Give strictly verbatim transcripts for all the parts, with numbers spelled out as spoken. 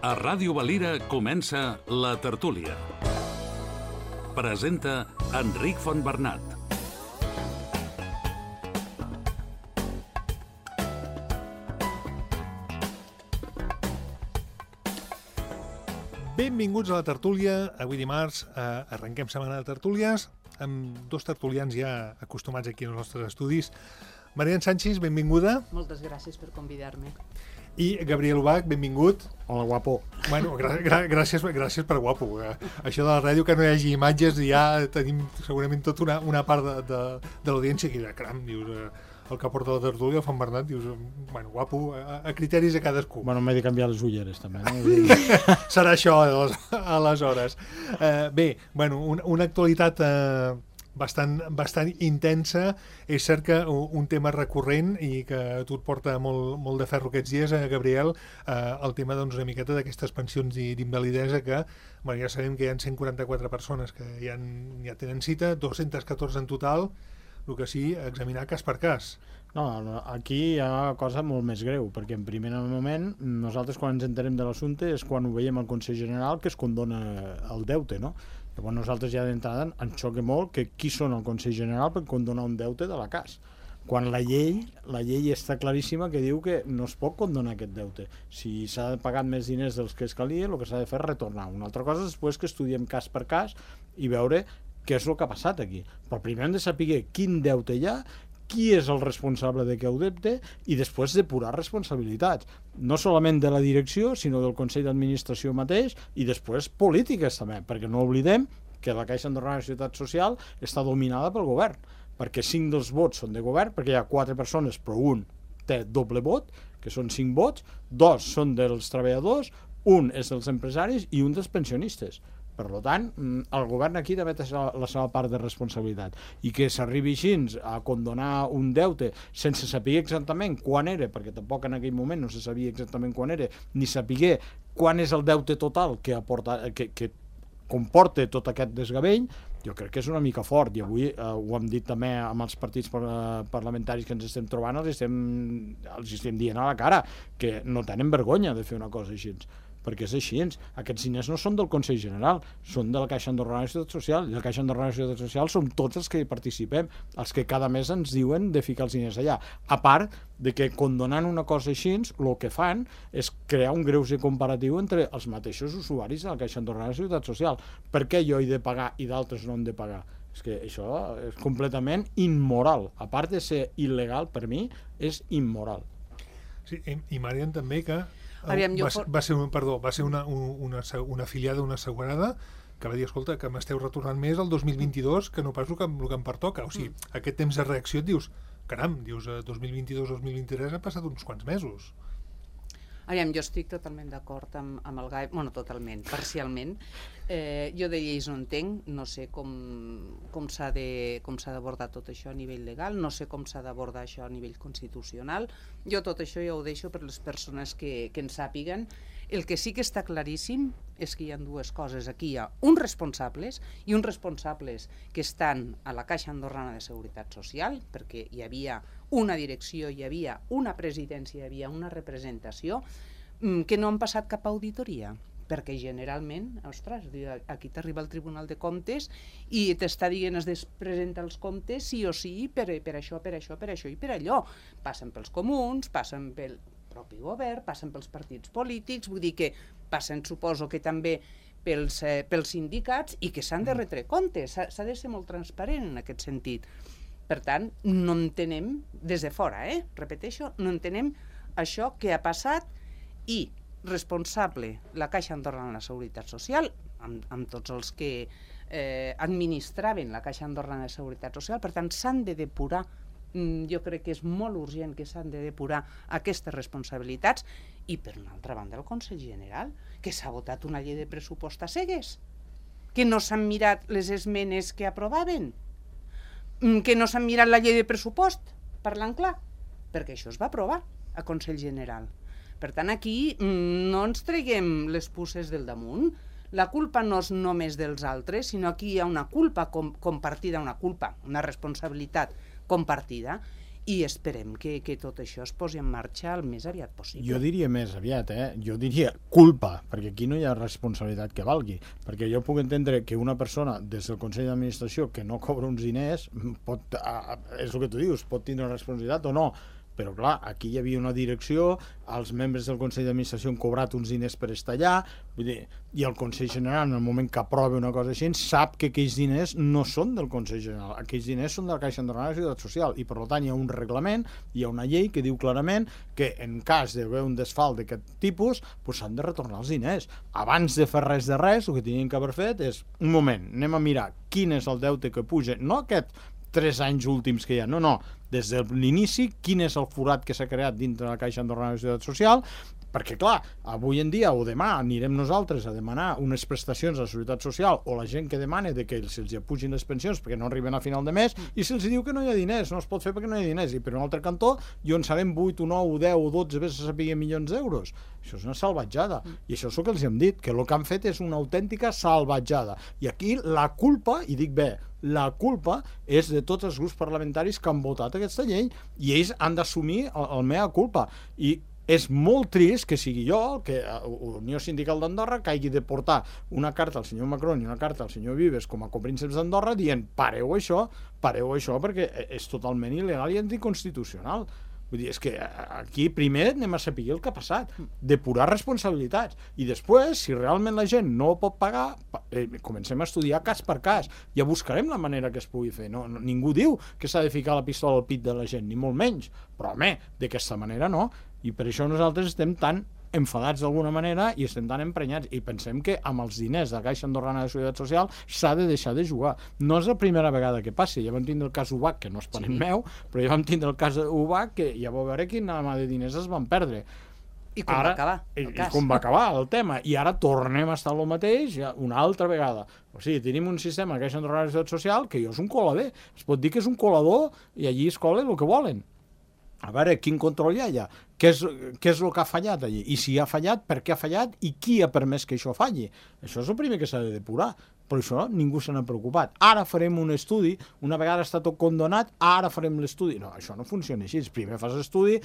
A Ràdio Valira comença La Tertúlia. Presenta Enric Fontbernat. Benvinguts a La Tertúlia. Avui dimarts eh, arrenquem setmana de tertúlies amb dos tertulians ja acostumats aquí als nostres estudis. Marian Sánchez, benvinguda. Moltes gràcies per convidar-me. I Gabriel Ubach, benvingut. Hola, guapo. Bueno, gra gra gràcies, gràcies per guapo. Això de la ràdio, que no hi hagi imatges, ja tenim segurament tota una, una part de, de, de l'audiència que dirà, caram, dius, el que porta la tertúlia, el Fontbernat, dius, bueno, guapo, a, a criteris de cadascú. Bueno, m'he de canviar les ulleres, també, no? Serà això, aleshores. Eh, bé, bueno, una, una actualitat... Eh, Bastant, bastant intensa. És cert que un tema recurrent i que a tu et porta molt, molt de ferro aquests dies, eh, Gabriel, eh, el tema doncs, una miqueta d'aquestes pensions d'invalidesa que bueno, ja sabem que hi ha cent quaranta-quatre persones que ja, han, ja tenen cita, dos-centes catorze en total, el que sí, examinar cas per cas. No, aquí hi ha una cosa molt més greu, perquè en primer moment nosaltres quan ens enterem de l'assumpte és quan ho veiem al Consell General que es condona el deute, no? Llavors nosaltres ja d'entrada ens xoca molt que qui són el Consell General per condonar un deute de la C A S, quan la llei la llei està claríssima que diu que no es pot condonar aquest deute. Si s'ha pagat més diners dels que es calia, el que s'ha de fer és retornar. Una altra cosa és després que estudiem cas per cas i veure què és el que ha passat aquí. Però primer hem de saber quin deute hi ha, qui és el responsable d'aquest deute i després depurar responsabilitats, no solament de la direcció, sinó del Consell d'Administració mateix i després polítiques també, perquè no oblidem que la Caixa Andorrana de Seguretat Social està dominada pel govern, perquè cinc dels vots són de govern, perquè hi ha quatre persones, però un té doble vot, que són cinc vots, dos són dels treballadors, un és dels empresaris i un dels pensionistes. Per tant, el govern aquí també té la seva part de responsabilitat. I que s'arribi així a condonar un deute sense saber exactament quan era, perquè tampoc en aquell moment no se sabia exactament quan era, ni saber quan és el deute total que, aporta, que, que comporta tot aquest desgavell, jo crec que és una mica fort. I avui eh, ho hem dit també amb els partits parlamentaris que ens estem trobant, els estem, els estem dient a la cara que no tenen vergonya de fer una cosa així. Perquè és així, aquests diners no són del Consell General, són de la Caixa Andorrana de Seguretat Social, i la Caixa Andorrana de Seguretat Social som tots els que hi participem, els que cada mes ens diuen de ficar els diners allà. A part de que condonant una cosa així, el que fan és crear un greuge comparatiu entre els mateixos usuaris de la Caixa Andorrana de Seguretat Social. Per què jo he de pagar i d'altres no han de pagar? És que això és completament immoral. A part de ser il·legal, per mi, és immoral. Sí, i Marian també que Aviam, va, for... va ser, perdó, va ser una, una, una afiliada, una assegurada que va dir, escolta, que m'esteu retornant més el dos mil vint-i-dos que no pas el que, el que em pertoca. O sigui, mm. aquest temps de reacció et dius, caram, dius, dos mil vint-i-dos dos mil vint-i-tres han passat uns quants mesos. Aviam, jo estic totalment d'acord amb, amb el Gai, bueno, totalment, parcialment. Eh, jo de lleis no entenc, no sé com, com s'ha d'abordar tot això a nivell legal, no sé com s'ha d'abordar això a nivell constitucional. Jo tot això ja ho deixo per les persones que, que en sàpiguen. El que sí que està claríssim és que hi ha dues coses. Aquí hi ha uns responsables i uns responsables que estan a la Caixa Andorrana de Seguretat Social, perquè hi havia una direcció, hi havia una presidència, hi havia una representació, que no han passat cap auditoria. Perquè generalment, ostres, aquí t'arriba el Tribunal de Comptes i t'està dient es presenta els comptes sí o sí per, per això, per això, per això i per allò. Passen pels comuns, passen pel propi govern, passen pels partits polítics, vull dir que passen, suposo que també pels, eh, pels sindicats i que s'han de retre comptes, s'ha de ser molt transparent en aquest sentit. Per tant, no entenem, des de fora, eh, repeteixo, no entenem això que ha passat i responsable la Caixa Andorrana de la Seguretat Social, amb, amb tots els que eh, administraven la Caixa Andorrana de Seguretat Social, per tant s'han de depurar, mm, jo crec que és molt urgent que s'han de depurar aquestes responsabilitats, i per una altra banda el Consell General, que s'ha votat una llei de pressupost a cegues, que no s'han mirat les esmenes que aprovaven, que no s'han mirat la llei de pressupost, parlant clar, perquè això es va aprovar a Consell General. Per tant, aquí no ens treguem les puces del damunt. La culpa no és només dels altres, sinó aquí hi ha una culpa com compartida, una culpa, una responsabilitat compartida, i esperem que, que tot això es posi en marxa el més aviat possible. Jo diria més aviat, eh? Jo diria culpa, perquè aquí no hi ha responsabilitat que valgui, perquè jo puc entendre que una persona des del Consell d'Administració que no cobra uns diners pot, és el que tu dius, pot tindre una responsabilitat o no, però clar, aquí hi havia una direcció, els membres del Consell d'Administració han cobrat uns diners per estar allà, vull dir, i el Consell General, en el moment que aprova una cosa així, sap que aquells diners no són del Consell General, aquells diners són de la Caixa Andorrana de la Seguretat Social, i per tant hi ha un reglament, hi ha una llei que diu clarament que en cas d'haver un desfalt d'aquest tipus, doncs s'han de retornar els diners. Abans de fer res de res, el que tenien que haver fet és, un moment, anem a mirar quin és el deute que puja, no aquest tres anys últims que hi ha, no, no, des de l'inici, quin és el forat que s'ha creat dintre de la Caixa Andorrana de la Seguretat Social, perquè clar, avui en dia o demà anirem nosaltres a demanar unes prestacions a la Seguretat Social o la gent que demana de que se'ls apugin les pensions perquè no arriben a final de mes i se'ls diu que no hi ha diners, no es pot fer perquè no hi ha diners, i per un altre cantó jo en sabem vuit o nou o deu o dotze vés a saber milions d'euros. Això és una salvatjada, i això és el que els hem dit, que el que han fet és una autèntica salvatjada, i aquí la culpa, i dic bé, la culpa és de tots els grups parlamentaris que han votat aquesta llei, i ells han d'assumir el, el mea culpa, i és molt trist que sigui jo, que Unió Sindical d'Andorra, que hagi de portar una carta al senyor Macron i una carta al senyor Vives com a coprínceps d'Andorra dient pareu això, pareu això perquè és totalment il·legal i anticonstitucional. Vull dir, és que aquí primer anem a saber el que ha passat, depurar responsabilitats, i després, si realment la gent no ho pot pagar, eh, comencem a estudiar cas per cas, ja buscarem la manera que es pugui fer. No, no, ningú diu que s'ha de ficar la pistola al pit de la gent, ni molt menys, però home, d'aquesta manera no, i per això nosaltres estem tan enfadats d'alguna manera i estem tan emprenyats, i pensem que amb els diners de la Caixa Andorrana de Seguretat Social s'ha de deixar de jugar. No és la primera vegada que passi, ja vam tindre el cas U B A C, que no és parent meu, però ja vam tindre el cas U B A C, que ja vau veure quina mà de diners es van perdre. I com ara, va acabar el i, cas. I com va acabar el tema, i ara tornem a estar el mateix ja una altra vegada. O sigui, tenim un sistema de Caixa Andorrana de Seguretat Social que jo és un colader, es pot dir que és un colador i allí es colen el que volen. A veure, quin control hi ha allà? Què és, què és el que ha fallat allí? I si ha fallat, per què ha fallat? I qui ha permès que això falli? Això és el primer que s'ha de depurar. Però això ningú se n'ha preocupat. Ara farem un estudi, una vegada està tot condonat, ara farem l'estudi. No, això no funciona així. Primer fas l'estudi,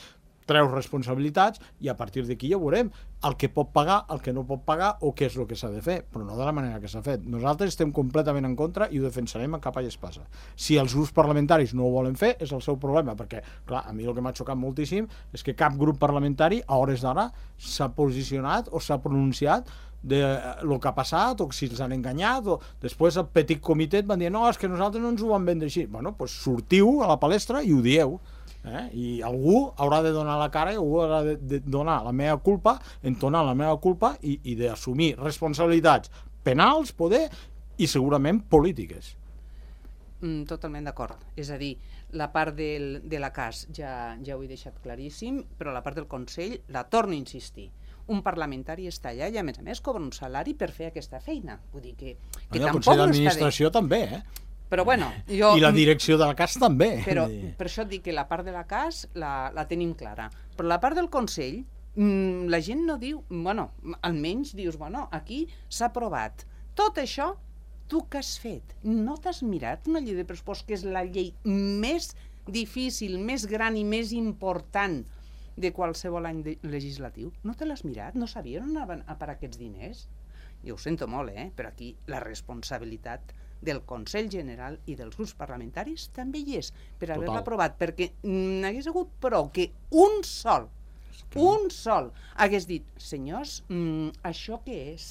treus responsabilitats i a partir d'aquí ja veurem el que pot pagar, el que no pot pagar o què és el que s'ha de fer, però no de la manera que s'ha fet. Nosaltres estem completament en contra i ho defensarem a capa i espasa. Si els grups parlamentaris no ho volen fer, és el seu problema, perquè, clar, a mi el que m'ha xocat moltíssim és que cap grup parlamentari a hores d'ara s'ha posicionat o s'ha pronunciat de lo que ha passat o si els han enganyat, o després el petit comitè van dir no, és que nosaltres no ens ho vam vendre així. Bueno, doncs sortiu a la palestra i ho dieu. Eh? I algú haurà de donar la cara i algú haurà de, de donar la meva culpa, entonar la meva culpa i, i d'assumir responsabilitats penals, poder, i segurament polítiques. Mm, totalment d'acord. És a dir, la part del, de la C A S ja, ja ho he deixat claríssim, però la part del Consell la torno a insistir. Un parlamentari està allà i a més a més cobra un salari per fer aquesta feina. Vull dir que, que el tampoc Consell no d'Administració està també, eh? Però bueno, jo... I la direcció de la C A S també. Però per això et dic que la part de la C A S la, la tenim clara. Però la part del Consell, mmm, la gent no diu... Bueno, almenys dius, bueno, aquí s'ha aprovat. Tot això, tu què has fet? No t'has mirat una llei de pressupost que és la llei més difícil, més gran i més important de qualsevol any de, legislatiu? No te l'has mirat? No sabies on anaven a parar aquests diners? Jo ho sento molt, eh? Però aquí la responsabilitat del Consell General i dels grups parlamentaris també hi és, per haver-la aprovat, perquè n'hagués hagut prou que un sol, que... un sol, hagués dit, senyors, mm, això què és?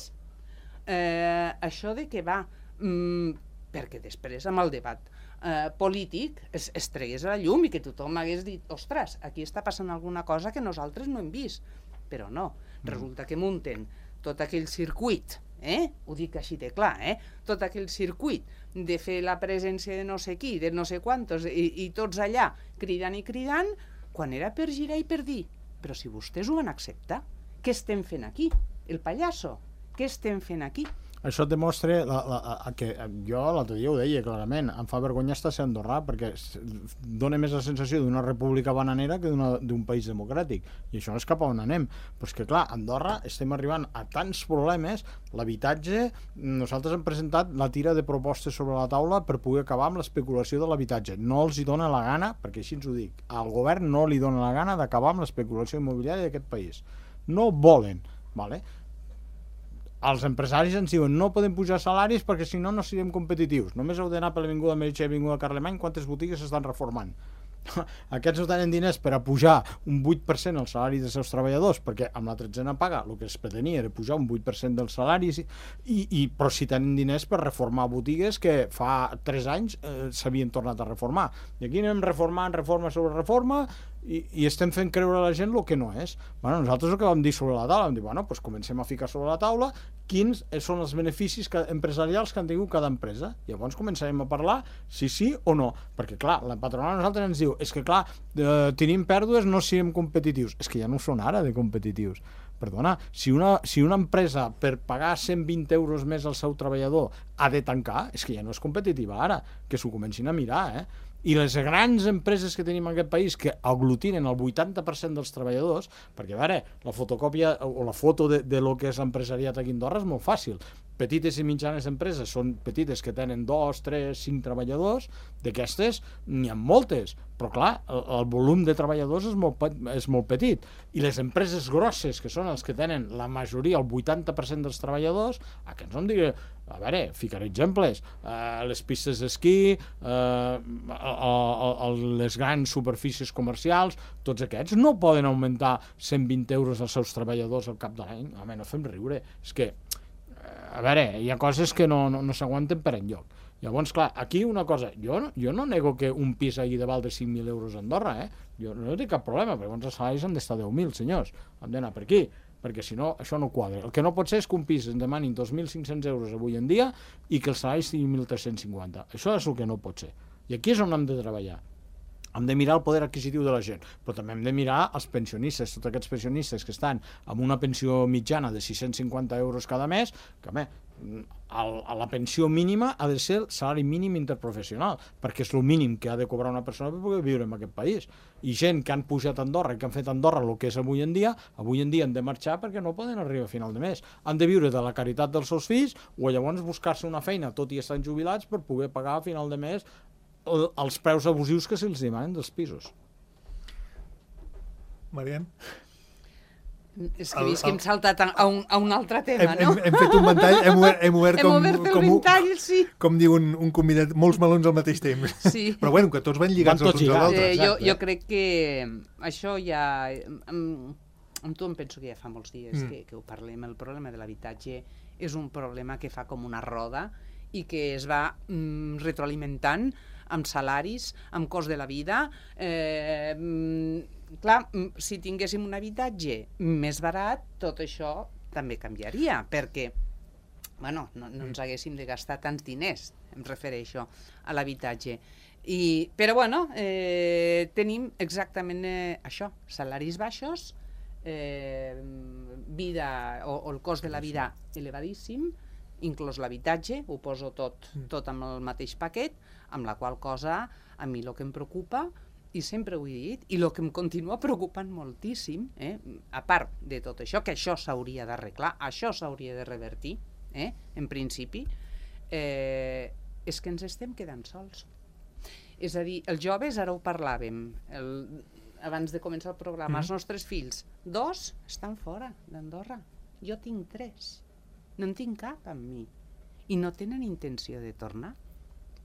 Eh, això de què va? Mm, perquè després, amb el debat eh, polític, es, es tregués a la llum i que tothom hagués dit, ostres, aquí està passant alguna cosa que nosaltres no hem vist. Però no, resulta que munten tot aquell circuit, eh? Ho dic així de clar, eh? Tot aquell circuit de fer la presència de no sé qui, de no sé quantos, i, i tots allà cridant i cridant, quan era per girar i per dir, però si vostès ho van acceptar, què estem fent aquí? El pallasso, què estem fent aquí? això et demostra la, la, la, que jo l'altre dia ho deia clarament, em fa vergonya estar a ser andorrà perquè dona més la sensació d'una república bananera que d'un país democràtic, i això no és cap a on anem. Però és que clar, a Andorra estem arribant a tants problemes, l'habitatge, nosaltres hem presentat la tira de propostes sobre la taula per poder acabar amb l'especulació de l'habitatge. No els hi dona la gana, perquè així ens ho dic, al govern no li dona la gana d'acabar amb l'especulació immobiliària d'aquest país. No volen, vale? Els empresaris ens diuen no podem pujar salaris perquè si no no serem competitius. Només heu d'anar per l'Avinguda Meritxell i l'Avinguda Carlemany quantes botigues s'estan reformant. Aquests no tenen diners per a pujar un vuit per cent el salari dels seus treballadors, perquè amb la tretzena paga el que es pretenia era pujar un vuit per cent dels salaris, i, i, però si tenen diners per reformar botigues que fa tres anys eh, s'havien tornat a reformar. I aquí anem reformant reforma sobre reforma i, i estem fent creure a la gent el que no és. Bueno, nosaltres el que vam dir sobre la taula, vam dir, bueno, doncs comencem a ficar sobre la taula quins són els beneficis que, empresarials que han tingut cada empresa. Llavors començarem a parlar si sí o no, perquè clar, la patronal a nosaltres ens diu és que clar, eh, tenim pèrdues, no siguem competitius. És que ja no són ara de competitius. Perdona, si una, si una empresa per pagar cent vint euros més al seu treballador ha de tancar, és que ja no és competitiva ara, que s'ho comencin a mirar, eh? I les grans empreses que tenim en aquest país que aglutinen el vuitanta per cent dels treballadors, perquè a veure, la fotocòpia o la foto de, de lo que és l'empresariat aquí a Andorra és molt fàcil. Petites i mitjanes empreses són petites que tenen dos, tres, cinc treballadors, d'aquestes n'hi ha moltes, però clar, el, el volum de treballadors és molt, és molt petit, i les empreses grosses, que són els que tenen la majoria, el vuitanta per cent dels treballadors, aquests no em digui, a veure, ficaré exemples, eh, les pistes d'esquí, eh, les grans superfícies comercials, tots aquests no poden augmentar cent vint euros als seus treballadors al cap de l'any. Home, no fem riure, és que a veure, hi ha coses que no, no, no s'aguanten per enlloc. Llavors, clar, aquí una cosa, jo no, jo no nego que un pis hagi de valdre cinc mil euros a Andorra, eh? Jo no tinc cap problema, però llavors els salaris han d'estar deu mil, senyors, han d'anar per aquí, perquè si no, això no quadra. El que no pot ser és que un pis ens demanin dos mil cinc-cents euros avui en dia i que els salaris siguin mil tres-cents cinquanta. Això és el que no pot ser. I aquí és on hem de treballar. Hem de mirar el poder adquisitiu de la gent, però també hem de mirar els pensionistes, tots aquests pensionistes que estan amb una pensió mitjana de sis-cents cinquanta euros cada mes, que home, a la pensió mínima ha de ser el salari mínim interprofessional, perquè és el mínim que ha de cobrar una persona per poder viure en aquest país. I gent que han pujat a Andorra i que han fet a Andorra el que és avui en dia, avui en dia han de marxar perquè no poden arribar a final de mes. Han de viure de la caritat dels seus fills o llavors buscar-se una feina, tot i estan jubilats, per poder pagar a final de mes els preus abusius que se'ls demanen dels pisos. Marian? És que veus que hem saltat a un, a un altre tema, hem, no? Hem, hem fet un ventall, hem obert, hem obert, hem com, obert el com, ventall, sí. Com diu un, un convidat, molts melons al mateix temps. Sí. Però bueno, que tots van lligats van els uns als altres. Eh, jo, jo crec que això ja... Amb, amb tu em penso que ja fa molts dies mm. que, que ho parlem. El problema de l'habitatge és un problema que fa com una roda i que es va mm, retroalimentant amb salaris, amb cost de la vida. Eh, clar, si tinguéssim un habitatge més barat, tot això també canviaria, perquè bueno, no, no ens haguéssim de gastar tants diners, em refereixo a l'habitatge. I, però bueno, eh, tenim exactament eh, això, salaris baixos, eh, vida o, o el cost de la vida elevadíssim, inclòs l'habitatge, ho poso tot, tot amb el mateix paquet, amb la qual cosa a mi el que em preocupa, i sempre ho he dit, i el que em continua preocupant moltíssim, eh, a part de tot això, que això s'hauria d'arreglar, això s'hauria de revertir, eh, en principi, eh, és que ens estem quedant sols. És a dir, els joves, ara ho parlàvem, el, abans de començar el programa, mm. els nostres fills, dos estan fora d'Andorra, jo tinc tres. No en tinc cap amb mi. I no tenen intenció de tornar.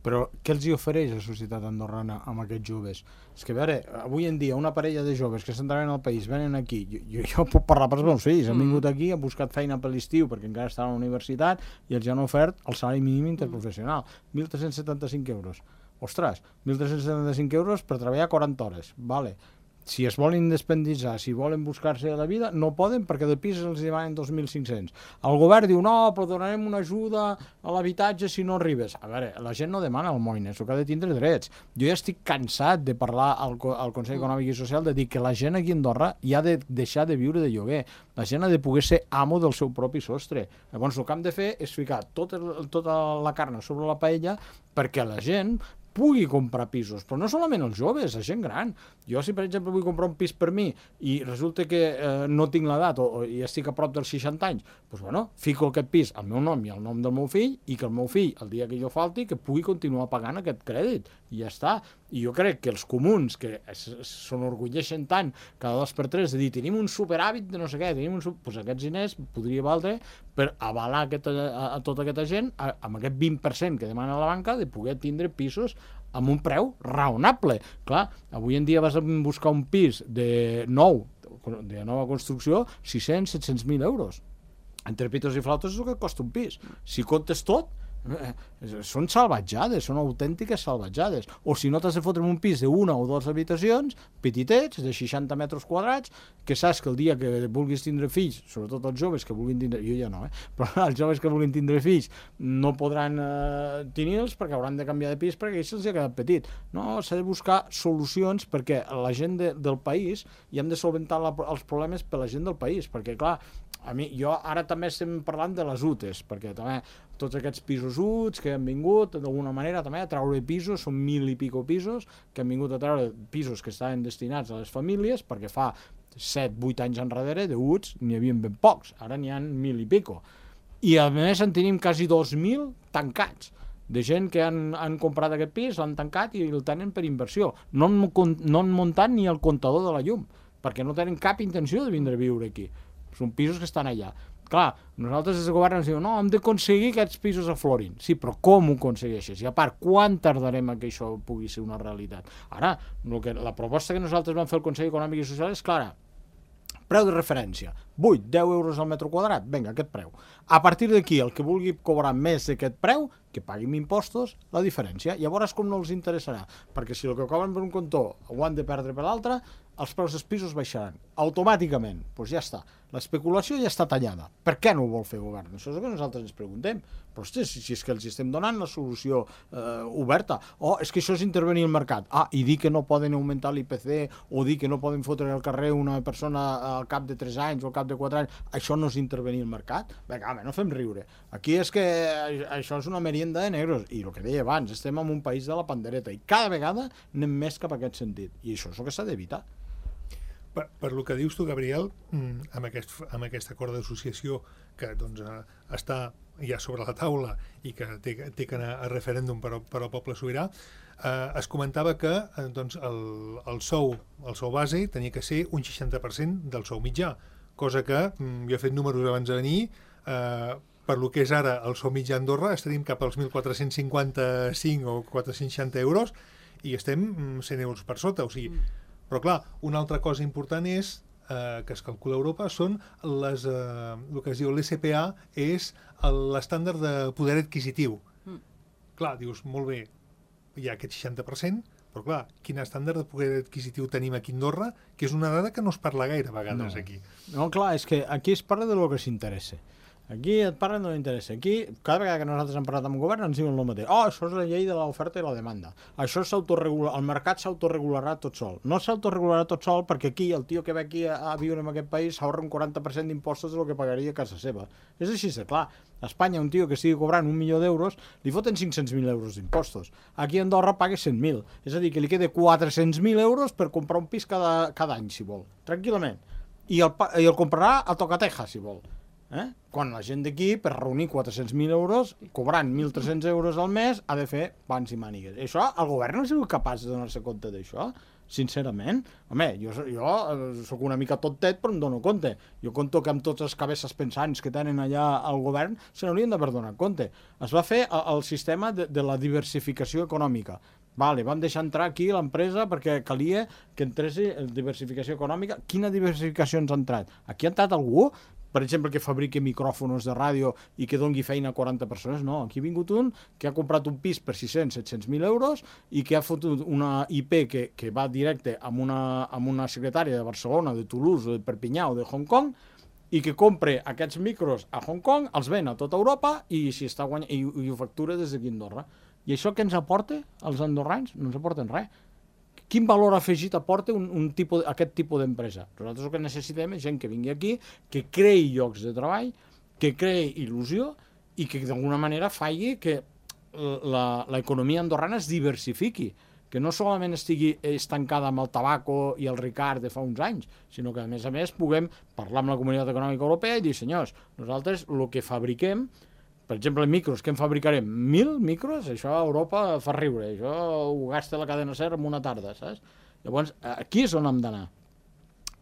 Però què els hi ofereix la societat andorrana amb aquests joves? És que a veure, avui en dia una parella de joves que s'entraven al país, venen aquí, jo, jo, jo puc parlar pels meus fills, han vingut aquí, han buscat feina per l'estiu perquè encara estan a la universitat i els han ofert el salari mínim interprofessional, mil tres-cents setanta-cinc euros. Ostres, mil tres-cents setanta-cinc euros per treballar quaranta hores, vale. si es volen independitzar, si volen buscar-se la vida, no poden perquè de pis els demanen dos mil cinc-cents. El govern diu, no, però donarem una ajuda a l'habitatge si no arribes. A veure, la gent no demana almoines, s'ho que ha de tindre drets. Jo ja estic cansat de parlar al, al Consell Econòmic i Social de dir que la gent aquí a Andorra ja ha de deixar de viure de lloguer. La gent ha de poder ser amo del seu propi sostre. Llavors, el que hem de fer és ficar tota, tota la carn sobre la paella perquè la gent pugui comprar pisos, però no solament els joves, la gent gran. Jo, si per exemple vull comprar un pis per mi i resulta que eh, no tinc l'edat o, o i estic a prop dels seixanta anys, doncs bueno, fico aquest pis al meu nom i al nom del meu fill i que el meu fill, el dia que jo falti, que pugui continuar pagant aquest crèdit. I ja està. I jo crec que els comuns, que s'enorgulleixen tant cada dos per tres de dir tenim un superàvit de no sé què, tenim un... Pues aquests diners podria valdre per avalar aquesta, a, a tota aquesta gent a, amb aquest vint per cent que demana la banca de poder tindre pisos amb un preu raonable. Clar, avui en dia vas a buscar un pis de nou, de nova construcció, sis-cents, set-cents mil euros. Entre pitos i flautes és el que costa un pis. Si comptes tot, eh, són salvatjades, són autèntiques salvatjades. O si no t'has de fotre en un pis d'una o dues habitacions, petitets, de seixanta metres quadrats, que saps que el dia que vulguis tindre fills, sobretot els joves que vulguin tindre, jo ja no, eh? però els joves que vulguin tindre fills no podran eh, tenir-los perquè hauran de canviar de pis perquè ells se'ls ha quedat petit. No, s'ha de buscar solucions perquè la gent de, del país, i hem de solventar la, els problemes per la gent del país, perquè clar, a mi, jo ara també estem parlant de les U T E S, perquè també tots aquests pisos U T S que han vingut d'alguna manera també a treure pisos, són mil i pico pisos que han vingut a treure pisos que estaven destinats a les famílies, perquè fa set vuit anys enrere de U T E S n'hi havia ben pocs, ara n'hi ha mil i pico. I a més en tenim quasi dos mil tancats, de gent que han, han comprat aquest pis, l'han tancat i el tenen per inversió. No han, no han muntat ni el comptador de la llum, perquè no tenen cap intenció de vindre a viure aquí. Són pisos que estan allà. Clar, nosaltres des del govern ens diuen no, hem d'aconseguir que aquests pisos aflorin. Sí, però com ho aconsegueixes? I a part, quan tardarem a que això pugui ser una realitat? Ara, el que, la proposta que nosaltres vam fer al Consell Econòmic i Social és clara. Preu de referència, vuit, deu euros al metre quadrat, vinga, aquest preu. A partir d'aquí, el que vulgui cobrar més d'aquest preu, que paguin impostos, la diferència. Llavors com no els interessarà? Perquè si el que cobren per un cantó ho han de perdre per l'altre, els preus dels pisos baixaran automàticament. Doncs pues ja està. L'especulació ja està tallada. Per què no ho vol fer el govern? Això és el que nosaltres ens preguntem. Però hosti, si és que els estem donant la solució eh, oberta. O és que això és intervenir el mercat. Ah, i dir que no poden augmentar l'I P C o dir que no poden fotre al carrer una persona al cap de tres anys o al cap de quatre anys. Això no és intervenir el mercat? Vinga, home, no fem riure. Aquí és que això és una merienda de negros. I el que deia abans, estem en un país de la pandereta i cada vegada anem més cap a aquest sentit. I això és el que s'ha d'evitar. Per, per lo que dius tu, Gabriel, amb aquest, amb aquest acord d'associació que doncs, està ja sobre la taula i que té, té que anar a referèndum per, per al poble sobirà, eh, es comentava que eh, doncs, el, el, sou, el sou base tenia que ser un seixanta per cent del sou mitjà, cosa que, jo he fet números abans de venir, eh, per lo que és ara el sou mitjà a Andorra estaríem cap als mil quatre-cents cinquanta-cinc o quatre-cents seixanta euros i estem cent euros per sota, o sigui, però clar, una altra cosa important és, eh, que es calcula a Europa, són les, eh, el que es diu l'E S P A, és l'estàndard de poder adquisitiu. Mm. Clar, dius, molt bé, hi ha aquest seixanta per cent, però clar, quin estàndard de poder adquisitiu tenim aquí a Andorra, que és una dada que no es parla gaire a vegades no. aquí. No, clar, és que aquí es parla de lo que s'interessa. Aquí et parlen de no interessa. Aquí, cada vegada que nosaltres hem parlat amb el govern, ens diuen el mateix. Oh, això és la llei de l'oferta i la demanda. Això s'autoregula, el mercat s'autoregularà tot sol. No s'autoregularà tot sol perquè aquí, el tio que ve aquí a, a viure en aquest país s'ahorra un quaranta per cent d'impostos del que pagaria a casa seva. És així de clar. A Espanya, un tio que estigui cobrant un milió d'euros, li foten cinc-cents mil euros d'impostos. Aquí a Andorra paga cent mil. És a dir, que li queda quatre-cents mil euros per comprar un pis cada, cada any, si vol. Tranquil·lament. I el, i el comprarà a tocateja, si vol. Eh? Quan la gent d'aquí, per reunir quatre-cents mil euros, cobrant mil tres-cents euros al mes, ha de fer pans i mànigues. I això, el govern no ha sigut capaç de donar-se compte d'això, sincerament. Home, jo, jo sóc una mica tontet, però em dono compte. Jo conto que amb tots els cabesses pensants que tenen allà al govern se n'haurien d'haver donat compte. Es va fer el sistema de, de la diversificació econòmica. Vale, vam deixar entrar aquí l'empresa perquè calia que entrés diversificació econòmica. Quina diversificació ens ha entrat? Aquí ha entrat algú per exemple, que fabriqui micròfons de ràdio i que doni feina a quaranta persones. No, aquí ha vingut un que ha comprat un pis per sis-cents a set-cents mil euros i que ha fotut una I P que, que va directe amb una, amb una secretària de Barcelona, de Toulouse, de Perpinyà o de Hong Kong, i que compre aquests micros a Hong Kong, els ven a tota Europa i, si està guany... I, i ho factura des d'aquí a Andorra. I això què ens aporta als andorrans? No ens aporten res. Quin valor afegit aporta un, un tipus, aquest tipus d'empresa? Nosaltres el que necessitem és gent que vingui aquí, que creï llocs de treball, que creï il·lusió i que d'alguna manera faci que l'economia andorrana es diversifiqui, que no solament estigui estancada amb el tabaco i el Ricard de fa uns anys, sinó que, a més a més, puguem parlar amb la Comunitat Econòmica Europea i dir, senyors, nosaltres el que fabriquem, per exemple, micros, què en fabricarem? Mil micros? Això a Europa fa riure, això ho gasta la cadena SER en una tarda, saps? Llavors, aquí és on hem d'anar.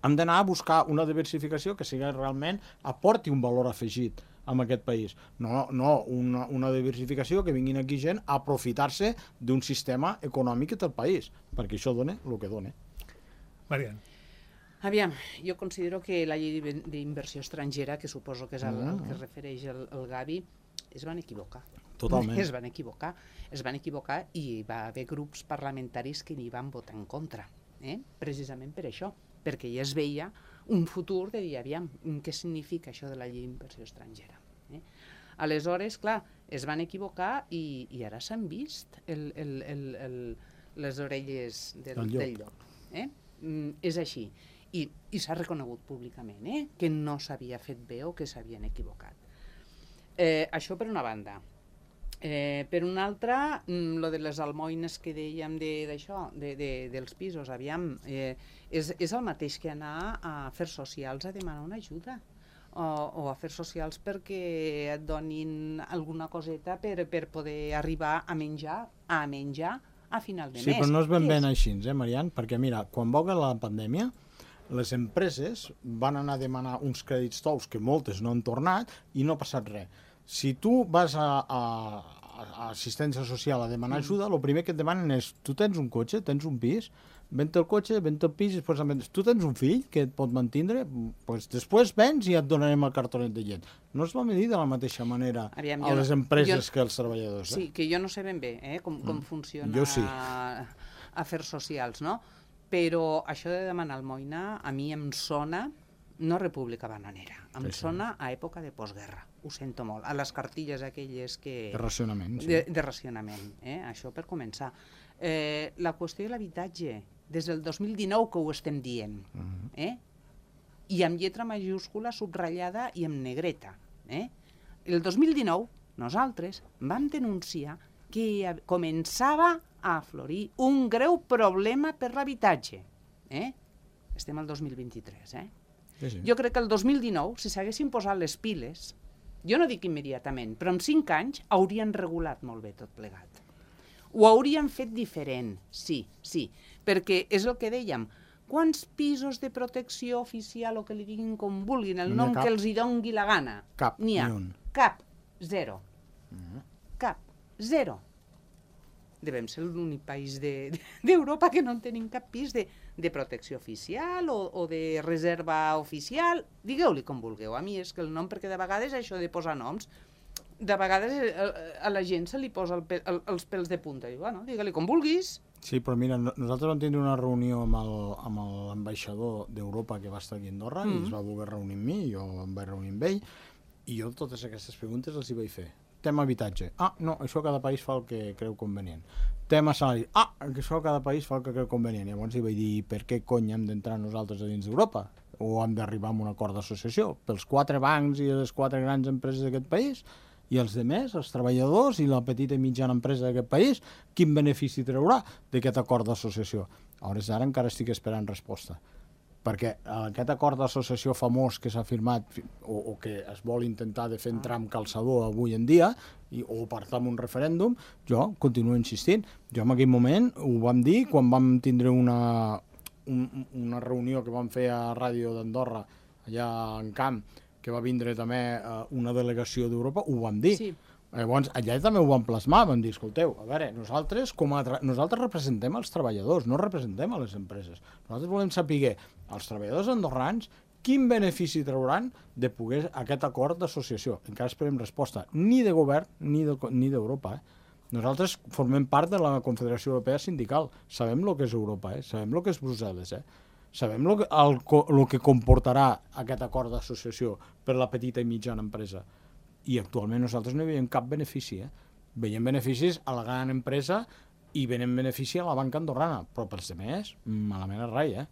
Hem d'anar a buscar una diversificació que sigui realment aporti un valor afegit en aquest país. No, no una, una diversificació que vinguin aquí gent a aprofitar-se d'un sistema econòmic del país, perquè això dona el que dona. Marian. Aviam, jo considero que la llei d'inversió estrangera, que suposo que és el, el que es refereix el, el Gavi, es van equivocar. Totalment. Es van equivocar. Es van equivocar i va haver grups parlamentaris que n'hi van votar en contra, eh? Precisament per això, perquè ja es veia un futur de dir, aviam, què significa això de la llei d'inversió estrangera? Eh? Aleshores, clar, es van equivocar i, i ara s'han vist el, el, el, el, les orelles del, el llop. del llop. Eh? Mm, és així. I, i s'ha reconegut públicament eh? que no s'havia fet bé o que s'havien equivocat. Eh, això per una banda. Eh, per una altra, mm, lo de les almoines que dèiem d'això, de, de, dels pisos, aviam, eh, és, és el mateix que anar a afers socials a demanar una ajuda. O, o afers socials perquè et donin alguna coseta per, per poder arribar a menjar, a menjar a final de mes. Sí, però no és ben ben així, eh, Marian? Perquè mira, quan va haver la pandèmia, les empreses van anar a demanar uns crèdits tous que moltes no han tornat i no ha passat res. Si tu vas a, a, a assistència social a demanar ajuda, el primer que et demanen és, tu tens un cotxe, tens un pis, vens el cotxe, vens el pis, i després tu tens un fill que et pot mantindre, pues després vens i et donarem el cartonet de llet. No es va medir de la mateixa manera Aviam, a les empreses jo, que als treballadors. Eh? Sí, que jo no sé ben bé eh, com, com mm. funciona jo sí. afers socials, no? Però això de demanar almoina a mi em sona, no República Bananera, em sí, sona a època de postguerra, ho sento molt, a les cartilles aquelles que... De racionament, sí. De, de racionament, eh? Això per començar. Eh, la qüestió de l'habitatge, des del dos mil dinou que ho estem dient, uh-huh. eh? I amb lletra majúscula subratllada i amb negreta. Eh? El dos mil dinou nosaltres vam denunciar que començava a aflorir un greu problema per l'habitatge. Eh? Estem al dos mil vint-i-tres, eh? Sí, sí. Jo crec que el dos mil dinou, si s'haguessin posat les piles, jo no dic immediatament, però en cinc anys haurien regulat molt bé tot plegat. Ho haurien fet diferent, sí, sí, perquè és el que dèiem, quants pisos de protecció oficial o que li diguin com vulguin, el nom que els hi dongui la gana? Cap, n'hi ha. Ni un. Cap, zero. Uh-huh. Cap, zero. Devem ser l'únic país d'Europa de, que no en tenim cap pis de, de protecció oficial o, o de reserva oficial. Digueu-li com vulgueu. A mi és que el nom, perquè de vegades això de posar noms, de vegades a, a la gent se li posa el pe, el, els pèls de punta. I, bueno, digue-li com vulguis. Sí, però mira, nosaltres vam tenir una reunió amb l'ambaixador d'Europa que va estar aquí a Andorra mm. i es va voler reunir amb mi, jo em vaig reunir amb ell, i jo totes aquestes preguntes els hi vaig fer. Tema habitatge. Ah, no, això cada país fa el que creu convenient. Tema salari. Ah, això cada país fa el que creu convenient. Llavors hi vaig dir, per què cony hem d'entrar nosaltres a dins d'Europa? O hem d'arribar a un acord d'associació? Pels quatre bancs i les quatre grans empreses d'aquest país i els demés, els treballadors i la petita i mitjana empresa d'aquest país, quin benefici traurà d'aquest acord d'associació? A hores d'ara encara estic esperant resposta. Perquè aquest acord d'associació famós que s'ha firmat o, o que es vol intentar de fer entrar amb calçador avui en dia i, o portar un referèndum, jo continuo insistint. Jo en aquell moment ho vam dir quan vam tindre una, un, una reunió que vam fer a Ràdio d'Andorra allà en Camp, que va vindre també uh, una delegació d'Europa, ho vam dir. Sí. Llavors, allà també ho vam plasmar, vam dir, escolteu, a veure, nosaltres, com a nosaltres representem els treballadors, no representem a les empreses. Nosaltres volem saber als treballadors andorrans quin benefici trauran de poder aquest acord d'associació? Encara esperem resposta, ni de govern ni d'Europa. Eh? Nosaltres formem part de la Confederació Europea Sindical, sabem el que és Europa, eh? Sabem el que és Brussel·les, eh? Sabem el que, el, el que comportarà aquest acord d'associació per la petita i mitjana empresa. I actualment nosaltres no hi veiem cap benefici. Eh? Veiem beneficis a la gran empresa i veiem benefici a la banca andorrana, però pels demés, malament és rai, eh?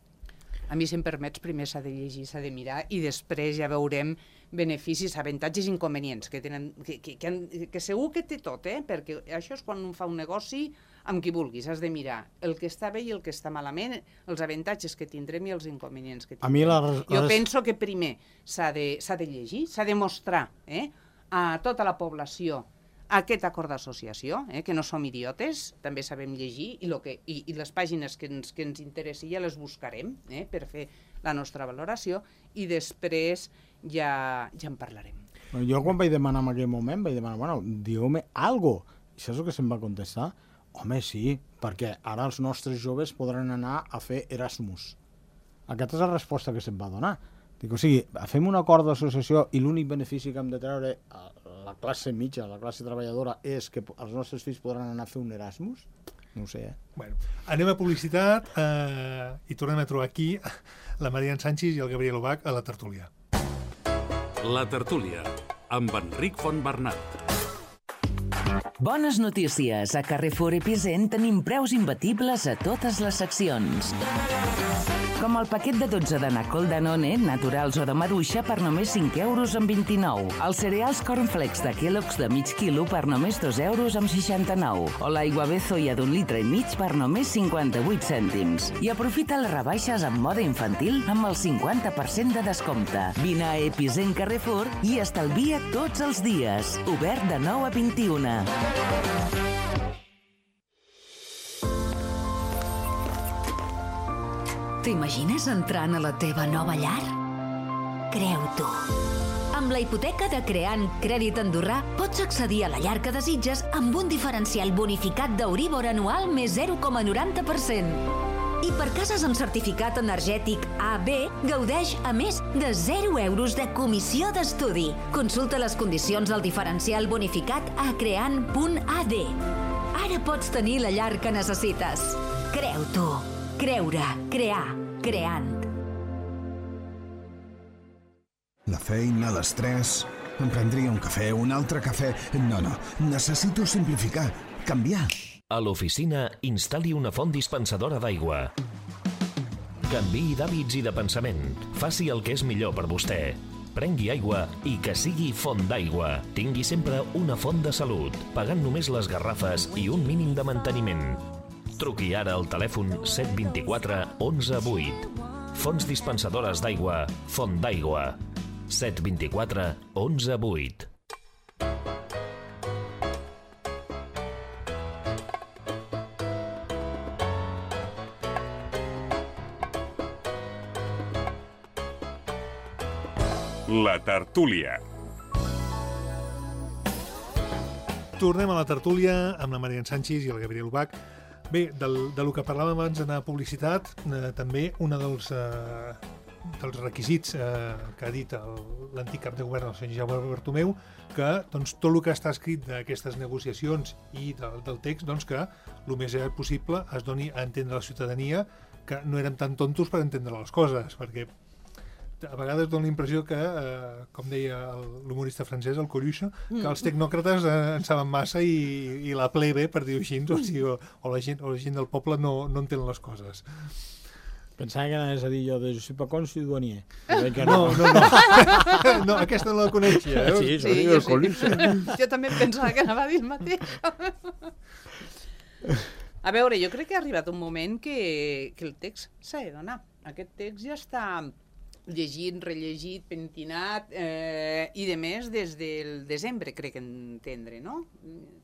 A mi, si em permets, primer s'ha de llegir, s'ha de mirar i després ja veurem beneficis, avantatges i inconvenients, que, tenen, que, que, que, han, que segur que té tot, eh? Perquè això és quan un fa un negoci amb qui vulguis, has de mirar el que està bé i el que està malament, els avantatges que tindrem i els inconvenients que tindrem. A mi la... Jo penso que primer s'ha de, s'ha de llegir, s'ha de mostrar eh, a tota la població aquest acord d'associació, eh, que no som idiotes, també sabem llegir, i, lo que, i, i les pàgines que ens, que ens interessi ja les buscarem eh, per fer la nostra valoració, i després ja, ja en parlarem. Jo quan vaig demanar en aquell moment, vaig demanar, bueno, dieu-me algo. I saps el que se'm va contestar? Home, sí, perquè ara els nostres joves podran anar a fer Erasmus. Aquesta és la resposta que se'm va donar. Dic, o sigui, fem un acord d'associació i l'únic benefici que hem de treure a la classe mitja, a la classe treballadora, és que els nostres fills podran anar a fer un Erasmus? No ho sé, eh? Bueno, anem a publicitat eh, i tornem a trobar aquí la Marian Sánchez i el Gabriel Ubach a la tertúlia. La tertúlia, amb Enric Fontbernat. Bones notícies. A Carrefour Epicent tenim preus imbatibles a totes les seccions. Com el paquet de dotze de Nacol Danone, naturals o de maduixa, per només cinc euros amb vint-i-nou. Els cereals Cornflakes de Kellogg's de mig quilo per només dos euros amb seixanta-nou. O l'aigua Bezoia d'un litre i mig per només cinquanta-vuit cèntims. I aprofita les rebaixes en moda infantil amb el cinquanta per cent de descompte. Vine a Epicent Carrefour i estalvia tots els dies. Obert de nou a vint-i-una. T'imagines entrant a la teva nova llar? Creu-t'ho. Amb la hipoteca de Creant Crèdit Andorrà pots accedir a la llar que desitges amb un diferencial bonificat d'Euríbor anual més zero coma noranta per cent. I per cases amb certificat energètic A B, gaudeix a més de zero euros de comissió d'estudi. Consulta les condicions del diferencial bonificat a creant punt a d. Ara pots tenir la llar que necessites. Creu-t'ho. Creure, crear, creant. La feina, l'estrès... Em prendria un cafè, un altre cafè... No, no, necessito simplificar, canviar. A l'oficina, instal·li una font dispensadora d'aigua. Canviï d'hàbits i de pensament. Faci el que és millor per vostè. Prengui aigua i que sigui font d'aigua. Tingui sempre una font de salut, pagant només les garrafes i un mínim de manteniment. Truqui ara al telèfon set dos quatre onze vuit. Fonts dispensadores d'aigua, Font d'aigua. set dos quatre onze vuit. La tertúlia. Tornem a la tertúlia amb la Marian Sánchez i el Gabriel Ubach. Bé, del, del que parlàvem abans d'anar a publicitat, eh, també un dels, eh, dels requisits eh, que ha dit l'antic cap de govern, el senyor Jaume Bartomeu, que doncs, tot el que està escrit d'aquestes negociacions i del, del text, doncs, que el més possible es doni a entendre a la ciutadania que no érem tan tontos per entendre les coses, perquè a vegades dona la impressió que, eh, com deia l'humorista francès, el Coluche, que els tecnòcrates eh, en saben massa i, i la plebe, per dir-ho així, o, sigui, o, o, la gent, o la gent del poble no, no entén les coses. Pensava que anaves a dir jo de je suis pas con, je suis douanier. Que no, no, no. No, aquesta no la coneixia. Eh? Sí, sí, jo, sí. Jo també pensava que anava a dir el mateix. A veure, jo crec que ha arribat un moment que, que el text s'ha de donar. Aquest text ja està llegit, rellegit, pentinat eh, i de més des del desembre, crec entendre, no?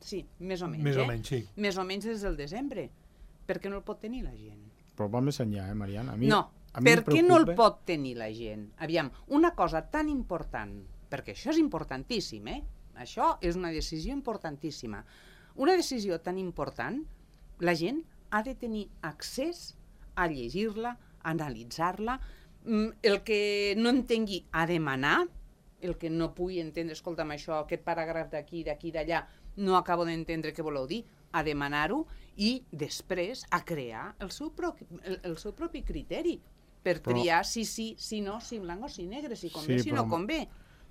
Sí, més o menys, més eh? o menys, sí. Més o menys des del desembre. Per què no el pot tenir la gent? Però va més enllà, eh, Mariana? A mi, no, a mi per què no el preocupa... pot tenir la gent? Aviam, una cosa tan important, perquè això és importantíssim, eh? Això és una decisió importantíssima. Una decisió tan important, la gent ha de tenir accés a llegir-la, a analitzar-la, El que no entengui a demanar, el que no pugui entendre, escolta'm, això, aquest paràgraf d'aquí, d'aquí, d'allà, no acabo d'entendre què voleu dir, a demanar-ho i després a crear el seu, propi, el, el seu propi criteri per triar però... si sí, si no, si blanc o si negre, si convé, sí, si però... no convé.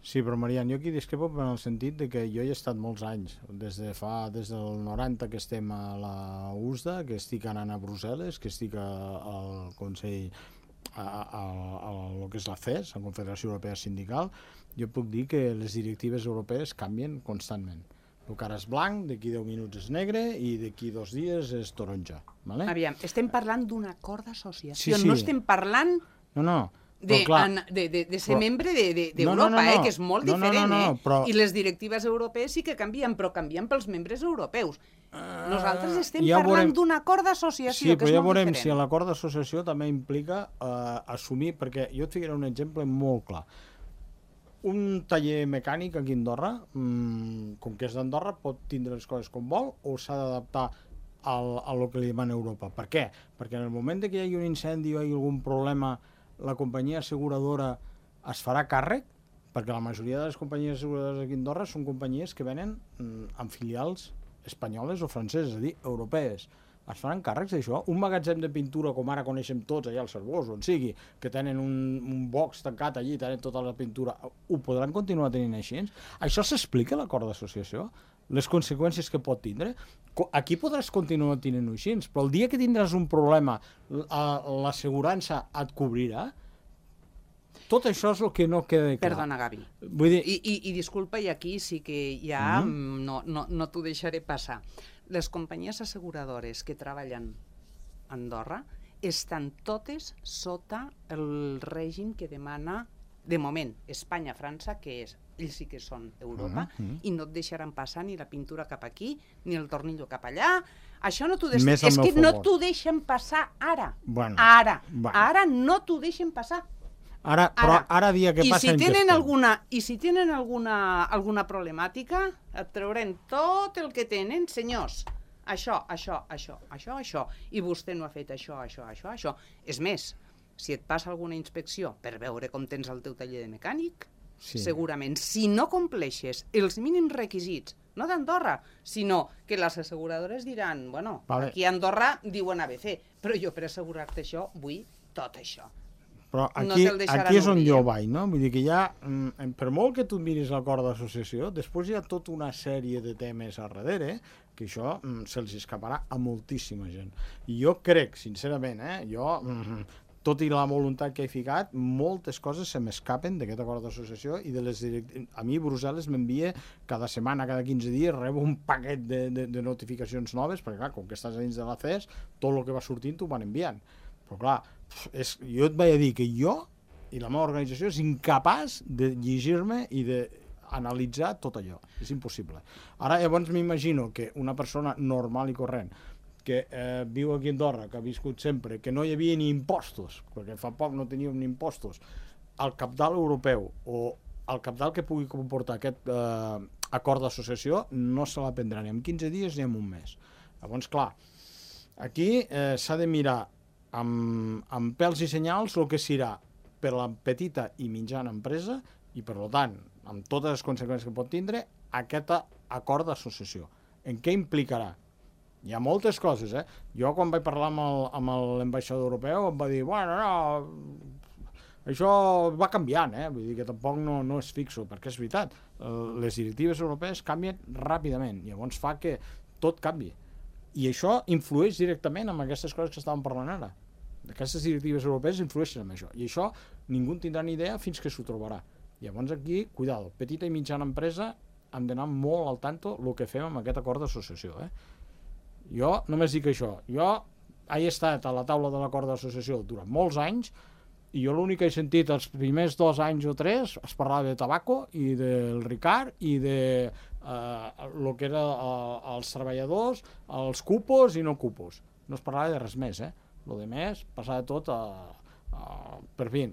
Sí, però Marian, jo aquí discrepo en el sentit de que jo hi he estat molts anys, des de fa, des del noranta que estem a la U S D A, que estic anant a Brussel·les, que estic a, al Consell, a, a, a, a lo que és la C E S, la Confederació Europea Sindical, jo puc dir que les directives europees canvien constantment. El que ara és blanc, d'aquí deu minuts és negre i d'aquí dos dies és taronja. Vale? Aviam, estem parlant d'un acord d'associació, sí, sí. no estem parlant... No, no. De, an, de, de, de ser però, membre d'Europa, de, de no, no, no, no. eh, que és molt no, diferent, no, no, no, però... eh? I les directives europees sí que canvien, però canvien pels membres europeus. Uh, Nosaltres estem ja parlant veurem... d'un acord d'associació, sí, que és ja molt veurem diferent. Si l'acord d'associació també implica uh, assumir, perquè jo et ficaré un exemple molt clar. Un taller mecànic aquí a Andorra, mmm, com que és d'Andorra, pot tindre les coses com vol o s'ha d'adaptar al, a lo que li demana Europa. Per què? Perquè en el moment que hi hagi un incendi o hi hagi algun problema, la companyia asseguradora es farà càrrec, perquè la majoria de les companyies asseguradores aquí a Andorra són companyies que venen mm, amb filials espanyoles o franceses, és a dir, europees. Es faran càrrecs d'això? Un magatzem de pintura, com ara coneixem tots allà al Cervós, on sigui, que tenen un, un box tancat allí, tenen tota la pintura, ho podran continuar tenint així? Això s'explica a l'acord d'associació? Les conseqüències que pot tindre? Aquí podràs continuar tenint-ho així, però el dia que tindràs un problema, l'assegurança et cobrirà? Tot això és el que no queda clar. Perdona, Gavi. Vull dir... I, i, I disculpa, i aquí sí que ja mm-hmm. no, no, no t'ho deixaré passar. Les companyies asseguradores que treballen a Andorra estan totes sota el règim que demana, de moment, Espanya-França, que és, ells sí que són Europa, uh -huh. i no et deixaran passar ni la pintura cap aquí, ni el tornillo cap allà. Això no t'ho deixen... És que favor. No t'ho deixen passar ara. Bueno, ara. Bueno. Ara no t'ho deixen passar. Ara, però ara, ara dia que I passa... Si tenen alguna, I si tenen alguna, alguna problemàtica, et trauran tot el que tenen, senyors. Això, això, això, això, això. I vostè no ha fet això, això, això, això. És més, si et passa alguna inspecció per veure com tens el teu taller de mecànic, sí. segurament, si no compleixes els mínims requisits, no d'Andorra, sinó que les asseguradores diran, bueno, vale. Aquí a Andorra diuen A B C, però jo per assegurar-te això vull tot això. Però aquí, no aquí és on obrir. Jo vaig, no? Vull dir que hi ha, per molt que tu miris l'acord d'associació, després hi ha tota una sèrie de temes a darrere, que això se'ls escaparà a moltíssima gent. I jo crec, sincerament, eh, jo... tot i la voluntat que he ficat, moltes coses se m'escapen d'aquest acord d'associació i de les direct... a mi Brussel·les m'envia cada setmana, cada quinze dies, rebo un paquet de, de, de notificacions noves, perquè clar, com que estàs dins de la C E S, tot el que va sortint t'ho van enviant. Però clar, és, jo et vaig a dir que jo i la meva organització és incapaç de llegir-me i d'analitzar tot allò. És impossible. Ara llavors m'imagino que una persona normal i corrent que eh, viu aquí a Andorra, que ha viscut sempre, que no hi havia ni impostos, perquè fa poc no teníem ni impostos, al cabdal europeu o al cabdal que pugui comportar aquest eh, acord d'associació, no se l'aprendrà ni en quinze dies ni en un mes. Llavors, clar, aquí eh, s'ha de mirar amb, amb pèls i senyals el que serà per la petita i mitjana empresa i, per tant, amb totes les conseqüències que pot tindre, aquest acord d'associació. En què implicarà? Hi ha moltes coses, eh? Jo, quan vaig parlar amb l'ambaixador europeu, em va dir, bueno, no, això va canviant, eh? Vull dir que tampoc no, no és fixo, perquè és veritat, les directives europees canvien ràpidament, llavors fa que tot canvi. I això influeix directament en aquestes coses que estàvem parlant ara. Aquestes directives europees influeixen en això, i això ningú en tindrà ni idea fins que s'ho trobarà. Llavors aquí, cuidado, petita i mitjana empresa hem d'anar molt al tanto el que fem amb aquest acord d'associació, eh? Jo només dic això, jo he estat a la taula de l'acord d'associació durant molts anys i jo l'únic que he sentit els primers dos anys o tres es parlava de tabaco i del Ricard i de eh, el que era eh, els treballadors, els cupos i no cupos. No es parlava de res més, eh? Lo de més passava tot a, a, per fi,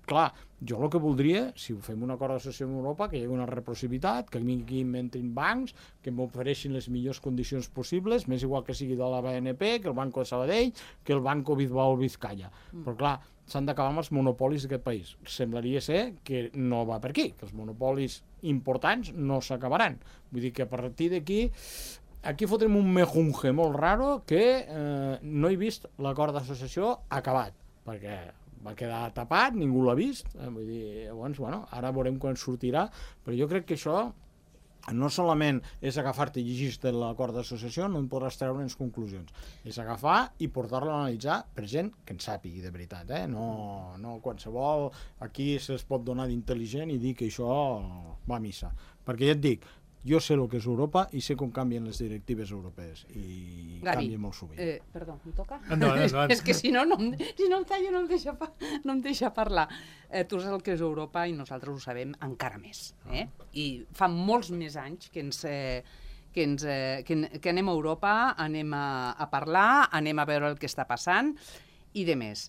clar, jo el que voldria, si ho fem un acord d'associació amb Europa, que hi hagi una reciprocitat, que aquí m'entrin bancs, que m'ofereixin les millors condicions possibles, més igual que sigui de la B N P, que el Banco de Sabadell, que el Banco Bilbao Vizcaya. Mm. Però clar, s'han d'acabar amb els monopolis d'aquest país. Semblaria ser que no va per aquí, que els monopolis importants no s'acabaran. Vull dir que a partir d'aquí aquí fotrem un mejunge molt raro que eh, no he vist l'acord d'associació acabat, perquè va quedar tapat, ningú l'ha vist, eh, vull dir, llavors, bueno, ara veurem quan sortirà, però jo crec que això no solament és agafar-te i llegir-te l'acord d'associació, no en podràs treure unes conclusions, és agafar i portar-lo a analitzar per gent que en sàpigui de veritat, eh? no, no qualsevol aquí se'ls pot donar d'intel·ligent i dir que això va a missa, perquè ja et dic, jo sé el que és Europa i sé com canvien les directives europees i Gavi, canvien molt sovint. Eh, perdó, em toca? No, no, no. És que si no, no, em, si no em tallo no em deixa, pa, no em deixa parlar. Eh, tu saps el que és Europa i nosaltres ho sabem encara més. Eh? I fa molts més anys que ens... Eh, que, ens, eh, que, que anem a Europa, anem a, a parlar, anem a veure el que està passant i de més.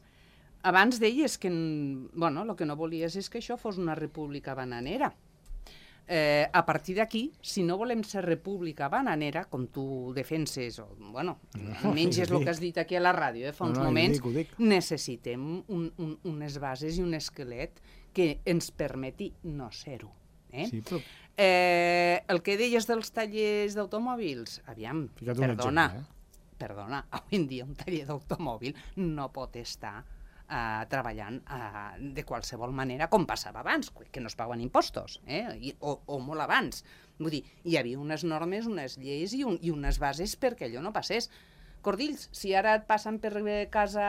Abans deies que, bueno, el que no volies és que això fos una república bananera. Eh, a partir d'aquí, si no volem ser república bananera, com tu defenses, o, bueno, almenys és el que has dit aquí a la ràdio, eh, fa uns no, no, moments, dic, dic. necessitem un, un, unes bases i un esquelet que ens permeti no ser-ho. Eh? Sí, però... eh, el que deies dels tallers d'automòbils, aviam, Fica't un perdona, exemple, eh? perdona, avui en dia un taller d'automòbil no pot estar Uh, treballant uh, de qualsevol manera, com passava abans, que no es paguen impostos, eh? I, o, o molt abans. Vull dir, hi havia unes normes, unes lleis i, un, i unes bases perquè allò no passés. Cordills, si ara et passen per casa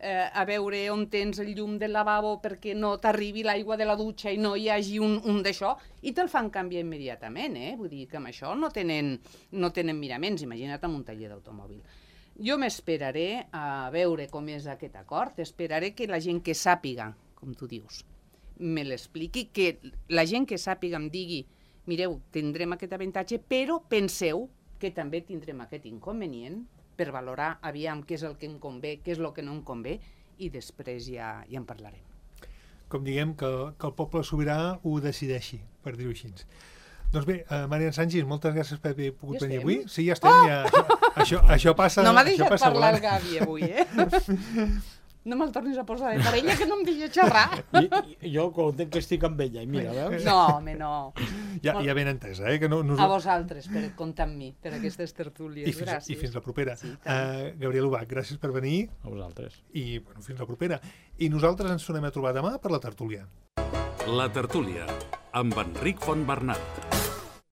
eh, a veure on tens el llum del lavabo perquè no t'arribi l'aigua de la dutxa i no hi hagi un, un d'això, i te'l fan canviar immediatament, eh? Vull dir que amb això no tenen, no tenen miraments, imagina't amb un taller d'automòbil. Jo m'esperaré a veure com és aquest acord, esperaré que la gent que sàpiga, com tu dius, me l'expliqui, que la gent que sàpiga em digui, mireu, tindrem aquest avantatge, però penseu que també tindrem aquest inconvenient per valorar aviam què és el que em convé, què és el que no em convé, i després ja, ja en parlarem. Com diguem, que, que el poble sobirà ho decideixi, per dir-ho així. Doncs bé, uh, Marian Sanchis, moltes gràcies per haver pogut Ja venir estem? avui. Sí, ja estem. Oh! Ja, això, això, això passa... No m'ha això deixat passa parlar volant. el Gavi avui, eh? No me'l tornis a posar de parella, que no em deixa xerrar. I, i jo content que estic amb ella, i mira, veus? No, home, no. Ja, ja ben entesa, eh? Que no, no... A vosaltres, per comptar amb mi, per aquestes tertúlies. I fins, gràcies. I fins la propera. Sí, uh, Gabriel Ubach, gràcies per venir. A vosaltres. I bueno, fins la propera. I nosaltres ens tornem a trobar demà per la tertúlia. La tertúlia, amb Enric Fontbernat.